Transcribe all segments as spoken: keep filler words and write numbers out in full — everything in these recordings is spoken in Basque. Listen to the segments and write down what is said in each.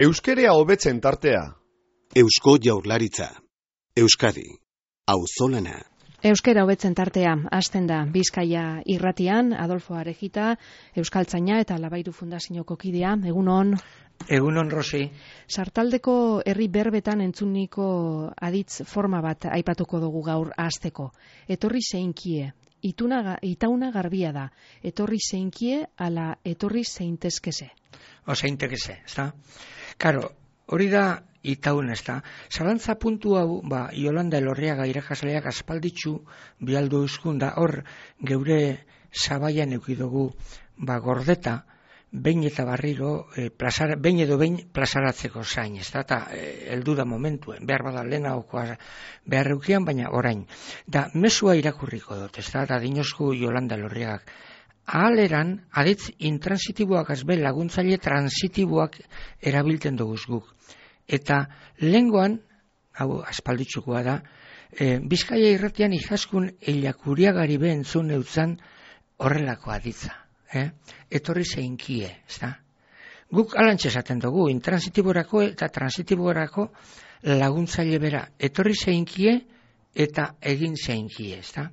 Euskerea hobetzen tartea. Eusko Jaurlaritza. Euskadi. Auzolana. Euskera hobetzen tartea, hasten da Bizkaia irratian, Adolfo Arejita, Euskaltzaina eta Labairu Fundazioko kidea. Egunon. Egunon, Rosi. Sartaldeko herri berbetan entzuniko aditz forma bat aipatuko dugu gaur hasteko. Etorri zeinkie. Ituna, itauna garbia da. Etorri zeinkie ala etorri zeintezkeze. O zeintezkeze, ez da? Karo, hori da itaun, ez da? Zalantza puntu hau, ba, Iolanda Elorriaga irakasleak aspalditxu bialdu euskunda, hor geure zabaian eukidugu, ba, gordeta, behin eta barriro, e, plazara, behin edo behin plazaratzeko zain, ez da? Eta e, heldu da momentuen, behar bada lehena okoa behar eukian, baina orain. Da, mesua irakurriko dut, ez da? Da, dinozku Iolanda Elorriagak. Ahaleran, aditz intransitiboak azbe laguntzaile transitiboak erabiltzen duguz guk. Eta lehengoan, hau aspalditzukoa da, e, Bizkaia irratian ikaskun eiakuriagari behentzun eutzan horrelako aditza. Eh? Etorri zeinkie, ez da? Guk alantxe esaten dugu, intransitiborako eta transitiborako laguntzaile bera. Etorri zeinkie eta egin zeinkie, ez da?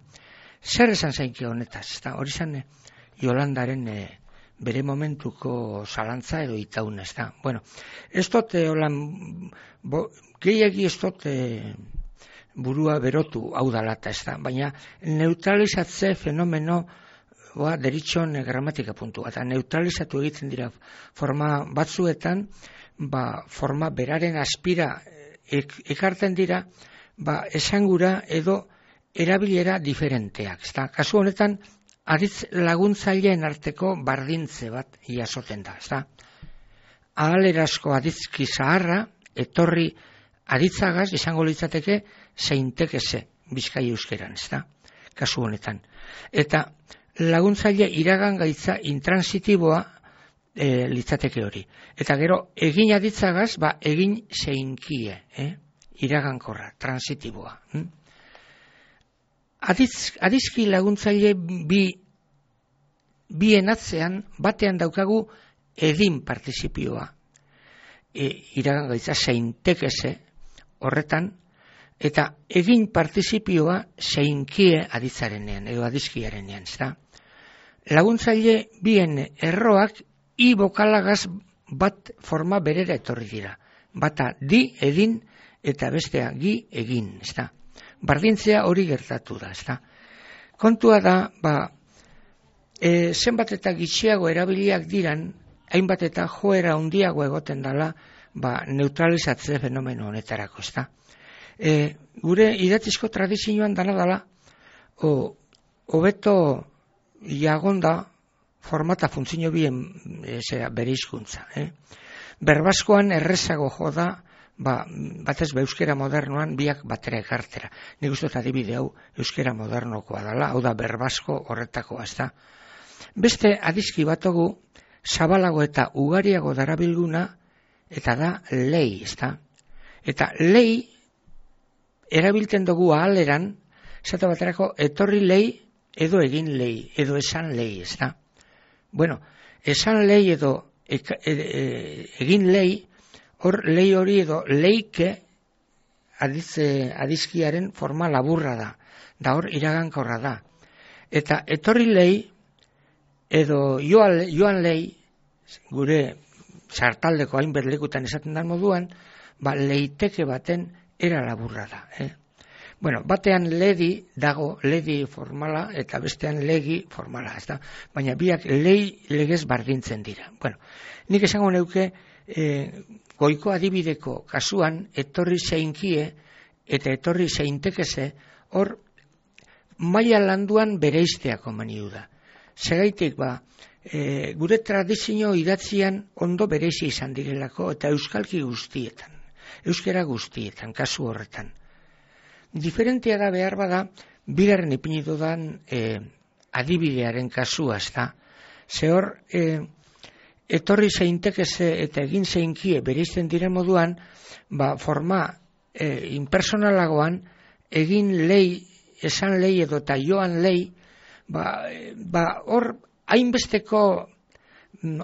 Zer esan zeinkie honetaz, ez da? Hori zan, Jolandaren e, bere momentuko zalantza edo itaun, ez da. Bueno, ez dut, e, holan, bo, gehiagi ez dut e, burua berotu hau dalata, ez da. Baina neutralizatze fenomeno ba, deritxon e, gramatika puntua. Eta neutralizatu egiten dira forma batzuetan, ba, forma beraren aspira ek, ekarten dira, ba, esangura edo erabilera diferenteak, ez da. Kasu honetan, aditz laguntzaileen arteko bardintze bat jasoten da, ez da? Ahalerazko aditzki zaharra, etorri aditzagaz, izango litzateke, zeintekeze Bizkaia euskeran, ez da? Kasu honetan. Eta laguntzaile iragan gaitza intransitiboa e, litzateke hori. Eta gero, egin aditzagaz, ba, egin zeinkie, eh? Iragankorra, transitiboa. Hm? Aditz, adizki laguntzaile bi bien atzean batean daukagu edin partizipioa. E, iragan gaitza zeintekeze horretan, eta egin partizipioa zeinkie aditzarenean, edo adizkiarenean, ez da? Laguntzaile bien erroak i bokalagaz bat forma berera etorri dira. Bata di, edin, eta bestea gi, egin, ez da? Bardintzea hori gertatu da, ez da? Kontua da, ba, e, zenbat eta gitxiago erabiliak diran, hainbat eta joera handiago egoten dela, ba, neutralizatze fenomeno honetarako, ez da? E, gure idatzizko tradizioan dana dela, o, hobeto jagonda formata funtzio bien e, zera, bere hizkuntza, eh? Berbaskoan errezago joda, ba, batez be euskera modernoan biak batera ekartera. Nik uste dut adibide hau euskera modernokoa dela, hau da berbasko horretakoa, ez da. Beste adizki batogu zabalago eta ugariago darabilguna, eta da lei, ez da. Eta lei erabiltzen dugu ahaleran, zata baterako etorri lei edo egin lei, edo esan lei, ez da. Bueno, esan lei edo e, e, e, egin lei, hor lei hori edo leike adiz, adizkiaren forma laburra da, da hor iragankorra da. Eta etorri lei edo joan, joan lei, gure sartaldeko hainbat lekutan esaten den moduan, ba leiteke baten era laburra da. Eh? Bueno, batean ledi dago, ledi formala, eta bestean legi formala, ez da? Baina biak lei legez bardintzen dira. Bueno, nik esango neuke, e, goiko adibideko kasuan, etorri zeinkie eta etorri zeintekeze, hor maila landuan bereiztea komeniu da. Segaitik ba, e, gure tradizio idatzian ondo bereizi izan direlako, eta euskalki guztietan, euskera guztietan, kasu horretan. Diferentea da behar bada, bigarren ipini dudan e, adibidearen kasua, ez da. Ze hor, e, etorri zeintekeze eta egin zeinkie bereizten diren moduan, ba, forma e, impersonalagoan, egin lei, esan lei edo eta joan lei, ba, ba hor hainbesteko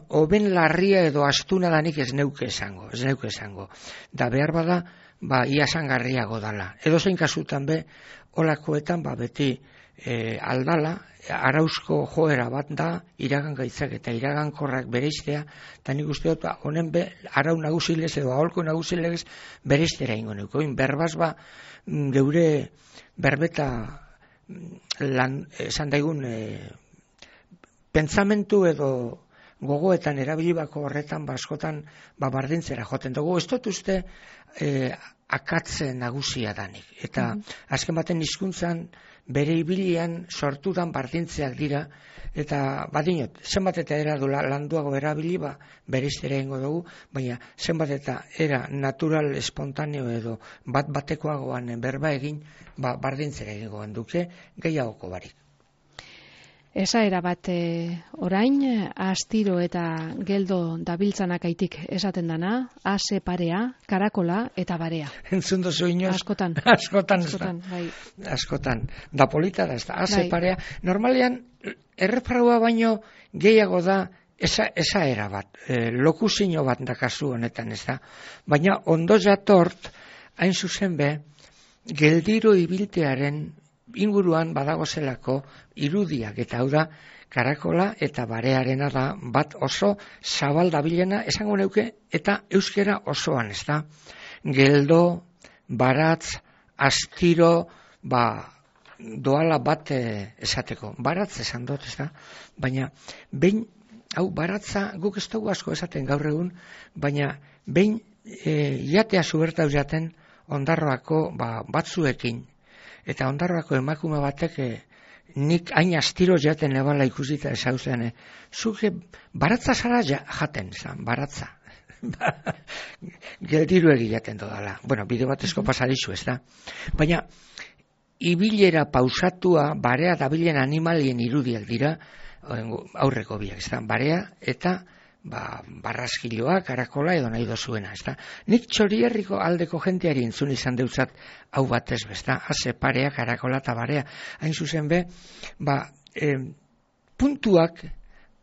oben larria edo astuna danik ez neuke esango, ez neuke esango. Da behar bada, ba, ia sangarriago dala. Edo zein kasutan be, olakoetan, ba, beti e, aldala, arauzko joera bat da, iragan gaitzak eta iragankorrak bereiztea, eta nik uste dut, honen be, arau nagusilez edo aholko nagusilez bereiztera ingo neuko. Berbaz ba, geure berbeta lan, esan daigun, e, pentsamentu edo gogoetan erabilibako horretan ba, askotan ba, bardintzera joten dugu. Ez dut uste e, akatze nagusia danik. Eta mm-hmm. azken baten hizkuntzan bere ibilian sortudan bardintzeak dira, eta badinot, zenbat eta era du landuago erabili, ba, bereiztera ingo dugu, baina zenbat eta era natural, espontaneo edo bat batekoagoan berba egin, ba, bardintzera egingoan duke, gehiagoko barik. Esaera bat e, orain, astiro eta geldo dabiltzanak aitik esaten dana, ase parea, karakola eta barea. Entzun dozu inoz? Askotan. Askotan, Askotan, bai. Askotan. Da polita da, ez da, ase bai. parea. Normalean, errepraua baino gehiago da esa, esaera bat, e, lokuzino bat da kasu honetan, ez da. Baina ondo jatort, hain zuzen be, geldiro ibiltearen inguruan badago zelako irudiak, eta hau da karakola eta barearena da bat oso zabal dabilena esango neuke, eta euskera osoan, ez da. Geldo, baratz, astiro, ba, doala bat e, esateko. Baratz esan dut, ez da. Baina, behin, hau, baratza guk ez dugu asko esaten gaur egun, baina behin e, jatea zubertau jaten Ondarroako ba, batzuekin, eta Ondarroako emakume batek e, nik hain astiro jaten nebala ikusita esauzean, e, zuke baratza zara ja, jaten, zan, baratza. Geldiru egilaten dodala. Bueno, bideo batezko pasadizu, ez da. Baina, ibilera pausatua, barea dabilen animalien irudiak dira, aurreko biak, ez da. Barea eta ba, barraskiloa, karakola edo nahi dozuena, ez da. Nik Txorierriko aldeko jenteari entzun izan deutzat hau batez, ez da. Ase parea, karakola eta barea. Hain zuzen be, ba, e, puntuak,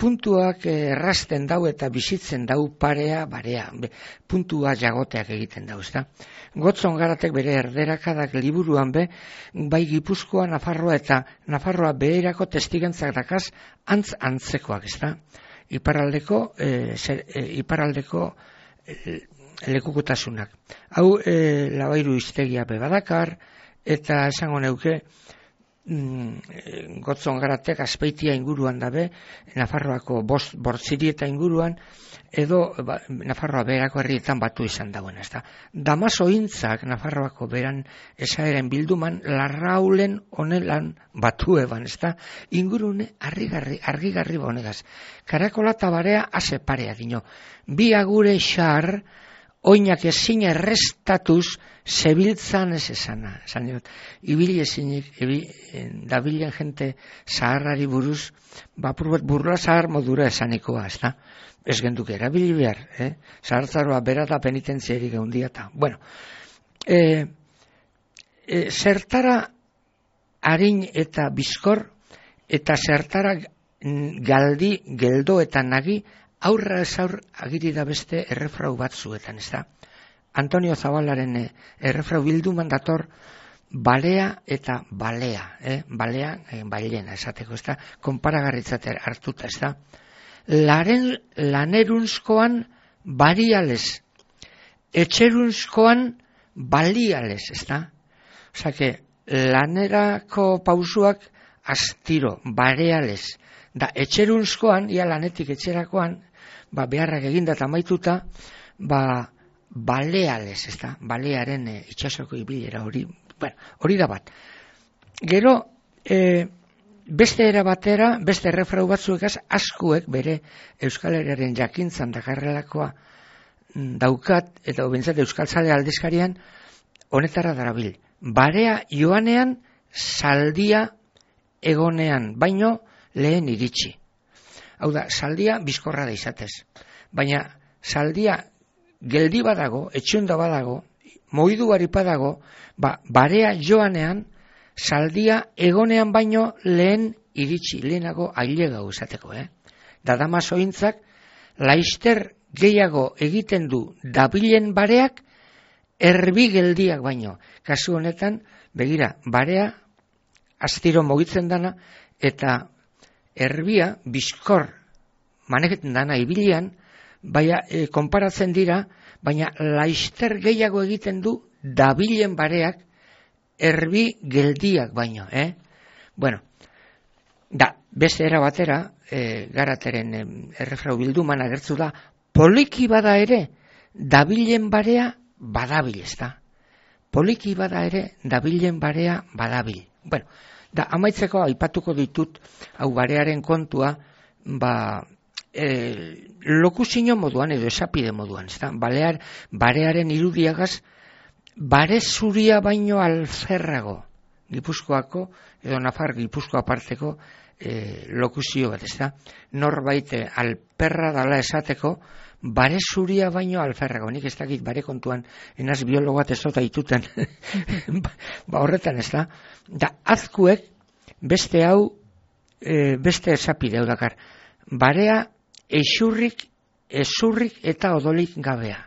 puntuak errasten dau eta bizitzen dau parea, barea, be, puntua jagoteak egiten dau, ez da. Gotzon Garatek bere erderakadak liburuan be, bai Gipuzkoa, Nafarroa eta Nafarroa beherako testigantzak dakaz, antz antzekoak, ez da. Iparraldeko, e, zer, e, iparraldeko e, lekukutasunak. Hau e, Labairu hiztegia be badakar, eta esango neuke, mm, Gotzon Garatek Azpeitia inguruan dabe, Nafarroako bost bortziri eta inguruan, edo ba, Nafarroa beherako herrietan batu izan dagoen, ez da. Damasointzak Nafarroako beran esaeren bilduman larraulen honelan batu eban, ez da. Ingurune argigarri, argigarri bonegaz. Karakola eta barea ase parea dino. Bi agure xar, oinak ezin errestatuz, zebiltzan ez esana. Esan diot, ibili ezinik, ibi, dabilen jente zaharrari buruz, bapurbet burla zahar modura esanikoa, ez da. Ez genduke erabili behar, eh? Zahartzaroa bera da penitentziarik eundiata. Bueno, e, e, zertara harin eta bizkor, eta zertara galdi, geldo eta nagi, aurra ez aur agiri da beste errefrau batzuetan, ez da. Antonio Zabalaren errefrau bilduman dator, balea eta balea, eh? Balea, eh, bailena esateko, ez da, konparagarritzater hartuta, ez da. Laren lanerunzkoan bariales, etxerunzkoan baliales, ez da? Osa que, lanerako pausuak astiro, bareales, da etxerunzkoan, ia lanetik etxerakoan, ba, beharrak eginda eta maituta, ba, baleales, ez da? Balearen e, itxasoko ibilera hori, bueno, hori da bat. Gero, e, beste era batera, beste errefrau batzuekaz, askuek bere Euskal Herriaren jakintzan dakarrelakoa daukat, eta bentsat Euskal Zale aldizkarian, honetara darabil. Barea joanean, saldia egonean, baino lehen iritsi. Hau da, saldia bizkorra da izatez. Baina saldia geldi badago, etxunda badago, moidu badago, ba, barea joanean, saldia egonean baino lehen iritsi, lehenago ailegau esateko, eh? Da Damasointzak laister gehiago egiten du dabilen bareak erbi geldiak baino. Kasu honetan, begira, barea astiro mugitzen dana eta erbia bizkor maneketen dana ibilian, baina e, konparatzen dira, baina laister gehiago egiten du dabilen bareak erbi geldiak baino, eh? Bueno, da, beste era batera, e, Garateren e, errefrau bilduman agertzu da, poliki bada ere, dabilen barea badabil, ez da? Poliki bada ere, dabilen barea badabil. Bueno, da, amaitzeko aipatuko ditut, hau barearen kontua, ba, e, lokusino moduan edo esapide moduan, ez da? Balear, barearen irudiagaz, bare zuria baino alferrago, Gipuzkoako, edo Nafar Gipuzkoa parteko e, lokusio bat, ez da? Norbait alperra dala esateko, bare zuria baino alferrago. Nik ez dakit bare kontuan, enaz biologo bat ez dut aituten. Ba horretan, ez da? Da, azkuek, beste hau, e, beste esapide hau dakar. Barea esurrik, esurrik eta odolik gabea.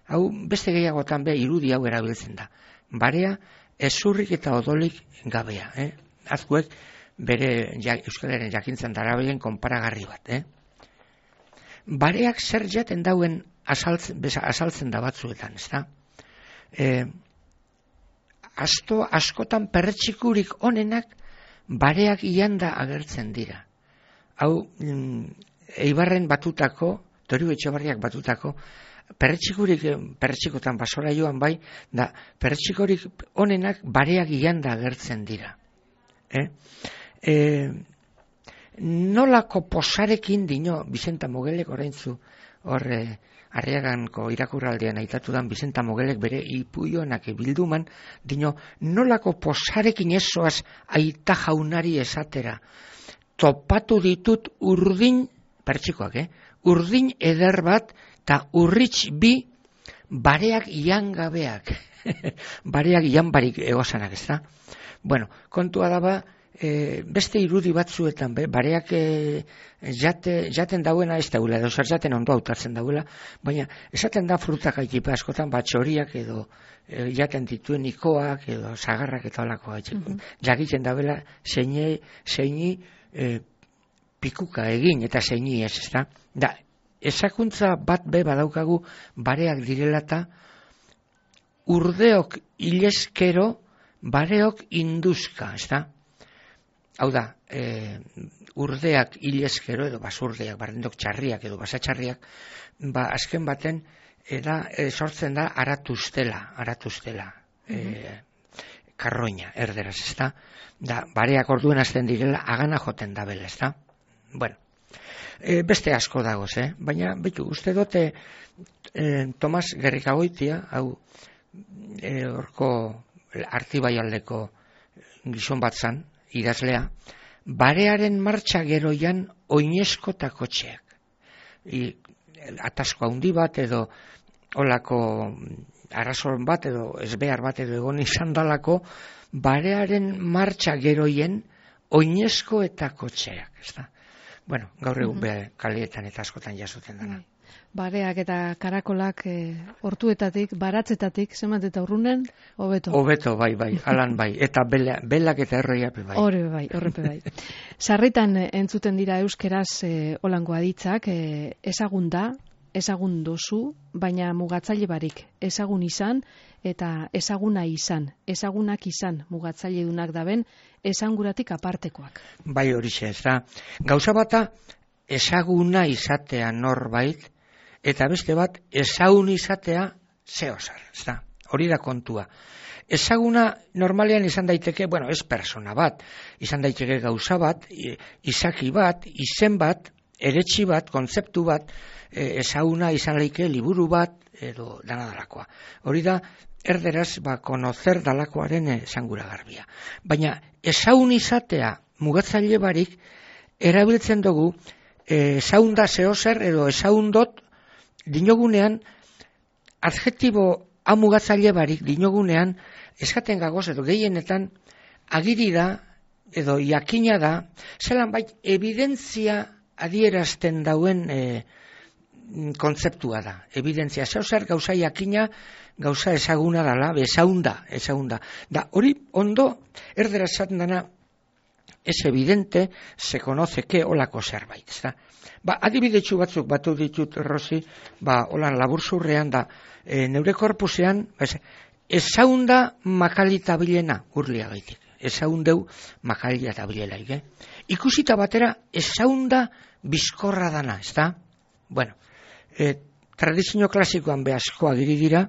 Hau, beste gehiagotan be, irudi hau erabiltzen da. Barea esurrik eta odolik gabea. Eh? Azkuek, bere ja, euskalaren jakintzen darabilen konparagarri bat, eh? Bareak zer jaten dauen azaltzen, azaltzen da batzuetan, ez da? E, asto, askotan perretxikurik onenak bareak ianda agertzen dira. Hau, Eibarren batutako, Toriu Etxebarriak batutako, perretxikurik, perretxikotan basora joan bai, da perretxikorik onenak bareak ianda agertzen dira. Eh? E, nolako posarekin dino Bizenta Mogelek oraintzu hor eh, Arriaganko irakurraldean aitatudan Bizenta Mogelek bere ipuionak bilduman dino nolako posarekin esoaz aita jaunari esatera topatu ditut urdin pertsikoak, eh? Urdin eder bat eta urritx bi bareak iangabeak bareak ianbarik egosanak, ez da? Bueno, kontua daba E, beste irudi batzuetan, be, bareak e, jate, jaten dauena ez dauela, edo zer jaten ondo hautatzen dauela, baina esaten da frutak aitipa askotan, batxoriak edo e, jaten dituen ikoak edo sagarrak eta olako gaitxeko. Mm-hmm. Jakiten dauela zeini, zeini e, pikuka egin eta zeini ez, ez da? Da, ezakuntza bat be badaukagu bareak direla eta urdeok ileskero bareok induzka, ez da? Hau da, e, urdeak hilezkero edo basurdeak, barrendok txarriak edo basatxarriak, ba, azken baten eda, e, sortzen da aratuztela, aratuztela, mm-hmm. e, karroina, erderaz, ez da? Da, bareak orduen azten direla, agana joten da bela, ez da? Bueno, e, beste asko dagoz, eh? Baina, betu, uste dote, e, Tomas Gerrikagoitia, hau, e, orko Artibaialdeko gizon bat zan, idazlea, barearen martxa geroian oinezko eta kotxeak. I, atasko handi bat edo olako arrazon bat edo ezbehar bat edo egon izan dalako, barearen martxa geroien oinezko eta kotxeak. Ez da? Bueno, gaur egun mm-hmm. kalietan eta askotan jasuten dana. Mm. Bareak eta karakolak e, hortuetatik, baratzetatik, zemat eta urrunen, hobeto. Hobeto, bai, bai, alan bai, eta bela, belak eta erroiape bai. Horre bai, horrepe bai. Sarritan entzuten dira euskeraz e, olango aditzak, e, ezagun da, ezagun dozu, baina mugatzaile barik, ezagun izan eta ezaguna izan, ezagunak izan, mugatzaile dunak daben, ezanguratik apartekoak. Bai horixe, ez da, gauza bata, ezaguna izatea norbait, eta beste bat, ezagun izatea zehozar, ez da, hori da kontua. Ezaguna normalean izan daiteke, bueno, ez persona bat, izan daiteke gauza bat, izaki bat, izen bat, eretxi bat, kontzeptu bat, ezaguna izan leike liburu bat, edo dana dalakoa. Hori da, erderaz, ba, konozer dalakoaren esangura garbia. Baina, ezagun izatea mugatzaile barik, erabiltzen dugu, ezagun da zehozer, edo ezagun dot, dinogunean, adjektibo amugatzaile barik dinogunean, eskaten gagoz edo gehienetan, agiri da, edo jakina da, zelan bait, evidentzia adierazten dauen e, kontzeptua da, evidentzia, zeu zer gauza jakina, gauza ezaguna dala, ezaunda, ezaunda. Da, hori ondo, erdera esaten dana, es evidente, se conoce que olako zerbait, ezta? Ba, adibidetxu batzuk batu ditut, Rosi, ba, holan laburzurrean da, e, neure korpusean, ezaunda makalita bilena, urlia gaitik, ezaundeu makalita bilelaik, eh? Ikusita batera, ezaunda bizkorra dana, ezta? Bueno, e, tradizio klasikoan behazko agiri dira,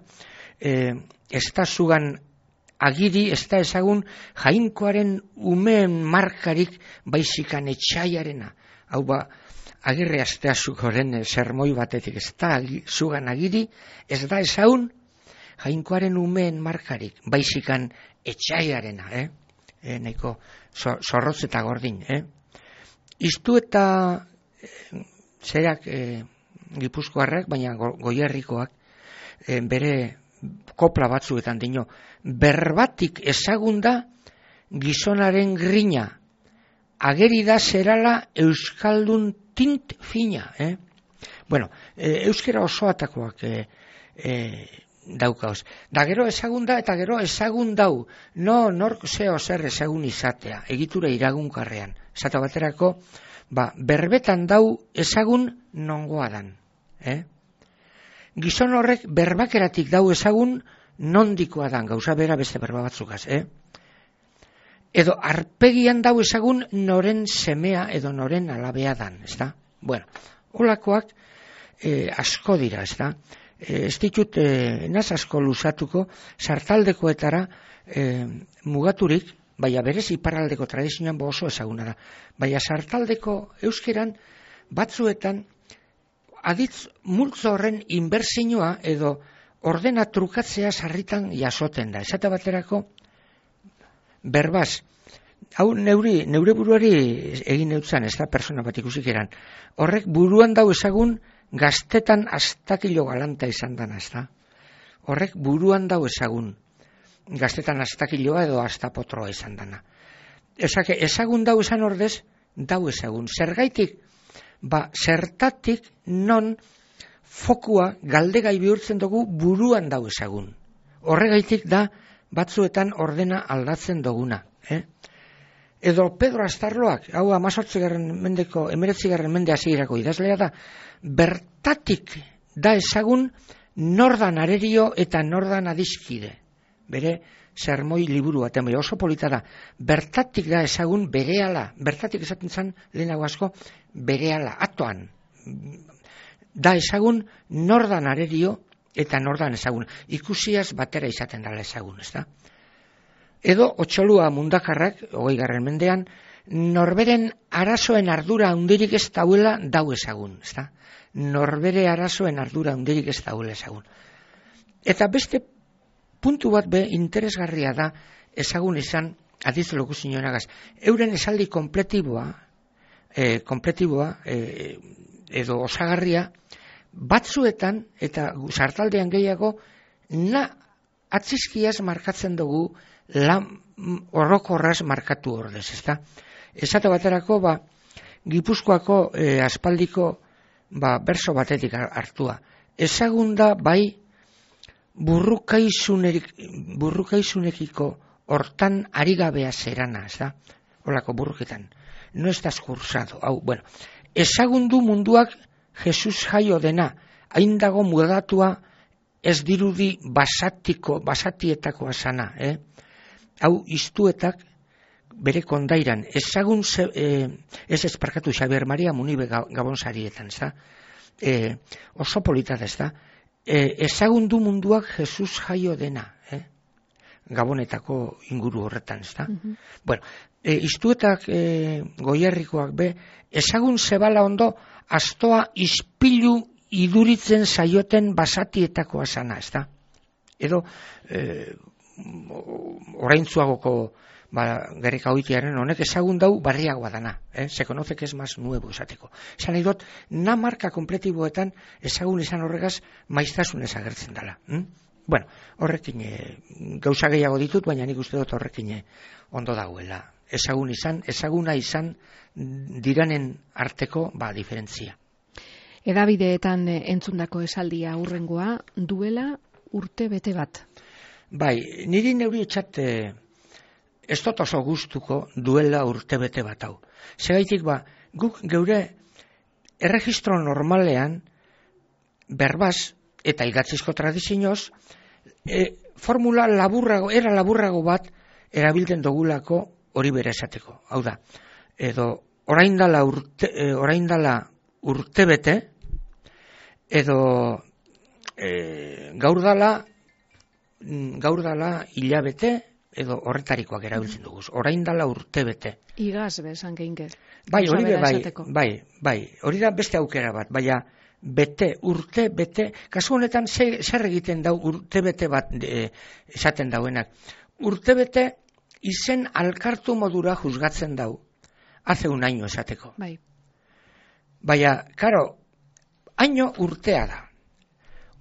e, ez da zugan agiri, ez da ezagun jainkoaren umeen markarik baizikan etxaiarena. Hau ba, agirre asteazukoren sermoi batetik, ez da zugan agiri, ez da ezagun jainkoaren umeen markarik baizikan etxaiarena, eh? E, nahiko zorrotz eta gordin, eh? Iztu eta e, zerak e, Gipuzkoarrak, baina go, goierrikoak, e, bere kopla batzuetan dino, berbatik ezagunda gizonaren grina, ageri da zerala euskaldun tint fina, eh? Bueno, e, euskera osoatakoak e, e, daukauz. Da gero ezagunda eta gero ezagun dau, no nork zeo zer ezagun izatea, egitura iragunkarrean. Zata baterako, ba, berbetan dau ezagun nongoa dan. Eh? Gizon horrek berbakeratik dau ezagun nondikoa dan, gauza bera beste berba batzukaz. Eh? Edo arpegian dau ezagun noren semea edo noren alabea dan. Ezta? Bueno, holakoak eh, asko dira, ezta? Eh, ez ditut eh, naz asko luzatuko, sartaldekoetara eh, mugaturik, baina berez iparraldeko tradizioan oso ezaguna da. Baina sartaldeko euskeran batzuetan aditz multzo horren inbertsioa edo ordena trukatzea sarritan jasoten da. Esate baterako berbaz, hau neuri, neure buruari egin neutzan, ez da persona bat ikusik eran. Horrek buruan dau ezagun gaztetan astakilo galanta izan dana, ez da? Horrek buruan dau ezagun gaztetan astakiloa edo astapotroa izan dana. Ezake, ezagun dau esan ordez, dau ezagun. Zergaitik, ba, zertatik non fokua galdegai bihurtzen dugu buruan dau ezagun. Horregaitik da batzuetan ordena aldatzen duguna. Eh? Edo Pedro Astarloak, hau amazortzigarren mendeko, emeretzigarren mende hasierako idazlea da, bertatik da ezagun nordan arerio eta nordan adiskide. Bere sermoi liburu baten, oso polita da, bertatik da ezagun berehala, bertatik esaten zen lehenago asko, berehala, atoan, da ezagun nordan arerio eta nordan ezagun, ikusiaz batera izaten dela ezagun, ez da? Edo, otxolua mundakarrak, hogei garren mendean, norberen arazoen ardura handirik ez dauela dau ezagun, ez da? Norbere arazoen ardura handirik ez dauela ezagun. Eta beste puntu bat be interesgarria da ezagun izan adiz lokuzioenagaz. Euren esaldi kompletiboa, eh, kompletiboa eh, edo osagarria batzuetan eta sartaldean gehiago na atzizkiaz markatzen dugu lan orokorraz markatu ordez, ezta? Esate baterako ba Gipuzkoako eh, aspaldiko ba berso batetik hartua. Ezagunda bai burrukaizunerik, burrukaizunekiko hortan arigabea zerana, ez da? Olako burruketan. No estás cursado. Hau, bueno, ezagundu munduak Jesus jaio dena, hain dago mudatua ez dirudi basatiko, basatietako asana, eh? Hau, iztuetak bere kondairan, ezagun ze, eh, ez ezparkatu Xabier Maria Munibe gabonsarietan, ez da? Eh, oso polita da, ez da? E, ezagundu munduak Jesus jaio dena, eh? Gabonetako inguru horretan, ez da? Mm-hmm. Bueno, e, iztuetak e, goierrikoak be, ezagun zebala ondo, astoa ispilu iduritzen saioten basatietako asana, ez da? Edo, e, oraintzuagoko ba, gereka hoitiaren honek ezagun dau barriagoa dana, eh? Se conoce que es más nuevo esateko. Esan nahi dut, na marka kompletiboetan ezagun izan horregaz maiztasunez agertzen dela. Hm? Bueno, horrekin e, gauza gehiago ditut, baina nik uste dut horrekin e, ondo dagoela. Ezagun izan, ezaguna izan diranen arteko ba, diferentzia. Edabideetan entzundako esaldia hurrengoa, duela urte bete bat. Bai, niri neuri etxat ez dut oso gustuko duela urte bete bat hau. Segaitik ba, guk geure erregistro normalean berbaz eta idatzizko tradizioz e, formula laburrago, era laburrago bat erabiltzen dugulako hori bere esateko. Hau da, edo orain dala urte, e, orain dala urte bete, edo e, gaur dala gaur dala hilabete, edo horretarikoak erabiltzen dugu. Orain dala urte bete. Igaz bezan geinke. Bai, hori be, bai, bai, bai, hori da beste aukera bat, baina bete, urte, bete, kasu honetan zer, zer egiten dau urte bete bat e, esaten dauenak. Urte bete izen alkartu modura juzgatzen dau, hace un año esateko. Bai. Baina, karo, año urtea da.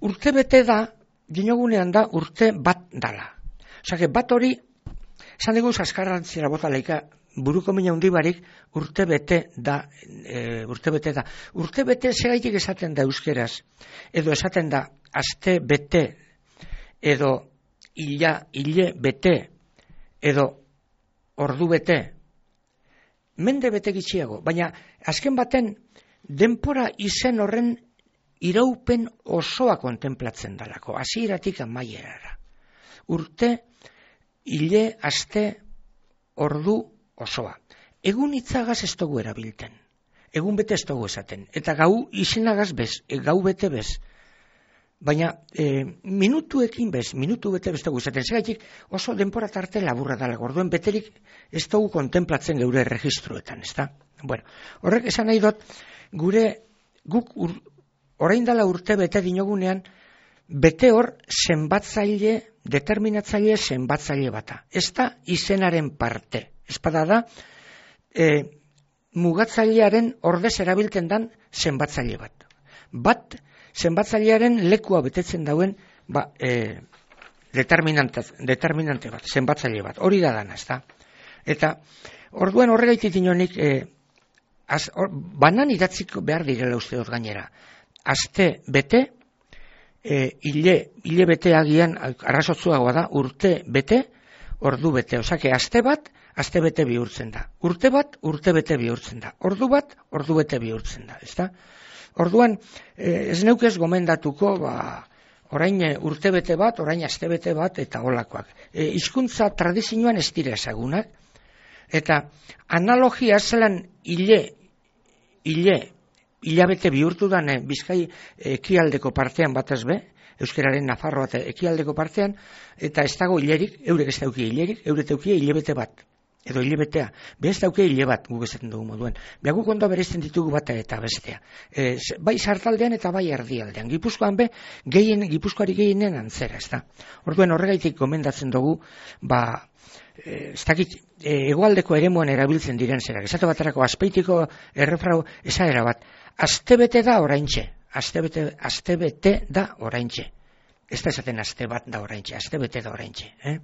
Urte bete da, dinogunean da urte bat dala. Osake, bat hori, esan dugu zaskarrantzira bota laika, buruko mina hundi barik urte bete da, e, urte bete da. Urte bete segaitik esaten da euskeraz, edo esaten da aste bete, edo ila, hile bete, edo ordu bete, mende bete gitxiago, baina azken baten denpora izen horren iraupen osoa kontemplatzen dalako, hasieratik amaierara. Urte, hile, aste, ordu osoa. Egun hitzagaz ez dugu erabilten. Egun bete ez dugu esaten. Eta gau izenagaz bez, e, gau bete bez. Baina e, minutuekin bez, minutu bete bez dugu esaten. Zegaitik oso denpora tarte laburra dala. Orduen beterik ez dugu kontemplatzen geure registroetan, ezta? Bueno, horrek esan nahi dut, gure guk ur, orain dala urte bete dinogunean, bete hor zenbatzaile, determinatzaile zenbatzaile bata. Ez da izenaren parte. Espada da, e, mugatzailearen ordez erabiltzen dan zenbatzaile bat. Bat, zenbatzailearen lekua betetzen dauen ba, e, determinante, determinante bat, zenbatzaile bat. Hori da dana, ez da. Eta, orduan horregaitik dinonik, e, az, or, banan idatziko behar direla uste dut gainera. Aste bete, e, hile, hile bete agian, arrazotzuagoa da, urte bete, ordu bete. Osake, aste bat, aste bete bihurtzen da. Urte bat, urte bete bihurtzen da. Ordu bat, ordu bete bihurtzen da. Ezta? Orduan, eh, ez neukez gomendatuko, ba, orain urte bete bat, orain aste bete bat, eta holakoak. E, hizkuntza tradizioan ez dira ezagunak, eta analogia zelan hile, hile, hilabete bihurtu dan, eh, Bizkai ekialdeko partean batez be, euskararen Nafarroa eta ekialdeko partean, eta ez dago hilerik, eurek ez daukie hilerik, eurek daukie hilebete bat, edo hilebetea, be ez daukie hile bat, guk esaten dugu moduen. Beha guk ondo bereizten ditugu bata eta bestea. E, bai sartaldean eta bai erdialdean. Gipuzkoan be, gehien, Gipuzkoari gehienen antzera, ez da. Orduen horregaitik gomendatzen dugu, ba, e, ez dakit, e, egoaldeko eremuan erabiltzen diren zerak. Esate baterako azpeitiko errefrau esaera bat, astebete da oraintxe. Astebete, astebete da oraintxe. Ez da esaten aste bat da oraintxe, astebete da oraintxe. Eh?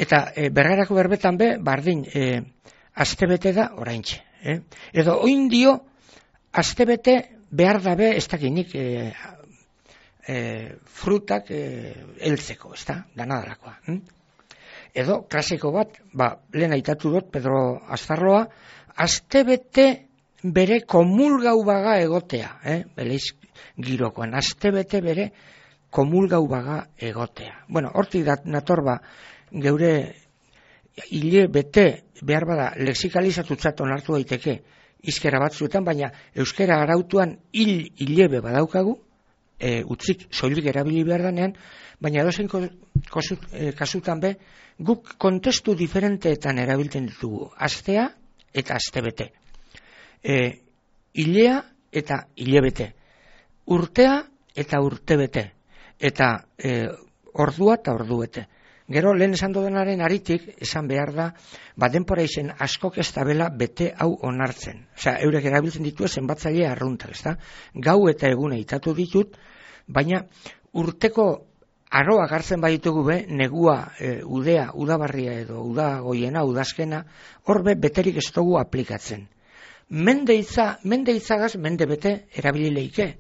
Eta e, berrarako berbetan be, bardin, e, astebete da oraintxe. Eh? Edo oin dio, astebete behar dabe, ez dakinik, e, e, frutak e, eltzeko, ez da, danadalakoa. Hm? Edo, klasiko bat, ba, lehen aitatu dut, Pedro Aztarroa, astebete bere komulgau baga egotea, eh? Beleiz girokoan, astebete bere komulgau baga egotea. Bueno, hortik dat natorba geure hile bete behar bada lexikalizatutzat onartu daiteke izkera batzuetan, baina euskera arautuan hil hilebe badaukagu, e, utzik soilik erabili behar danean, baina dozen e, kasutan be, guk kontestu diferenteetan erabiltzen ditugu, astea eta astebete. E, hilea eta hilebete, urtea eta urtebete, eta e, ordua eta ordubete. Gero lehen esan dodenaren aritik esan behar da, ba denpora izen askok ez tabela bete hau onartzen. Osea, eurek erabiltzen ditu zenbatzaile arruntak, ezta? Gau eta eguna itatu ditut, baina urteko aroa gartzen baditugu be, negua, e, udea, udabarria edo udagoiena, udazkena, horbe beterik ez dugu aplikatzen. mende hitza, mende hitzagaz mende bete erabili leike.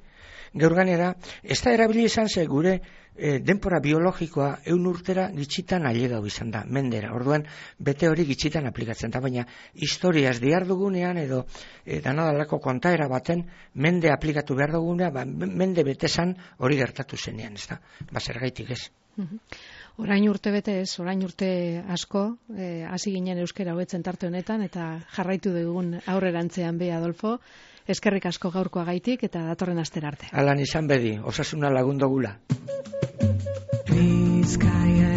Gaur ganera, ez da erabili izan ze gure e, denpora biologikoa eun urtera gitxitan ailegau izan da, mendera. Orduan, bete hori gitxitan aplikatzen da, baina historiaz diar dugunean edo e, danadalako kontaera baten mende aplikatu behar dugunean, ba, mende betezan hori gertatu zenean, ez da, ba, zergaitik ez. Orain urte bete ez, orain urte asko, hasi e, ginen euskera hobetzen tarte honetan, eta jarraitu dugun aurrerantzean be, Adolfo, eskerrik asko gaurkoa gaitik eta datorren astera arte. Alan izan bedi, osasuna lagundogula. Bizkaia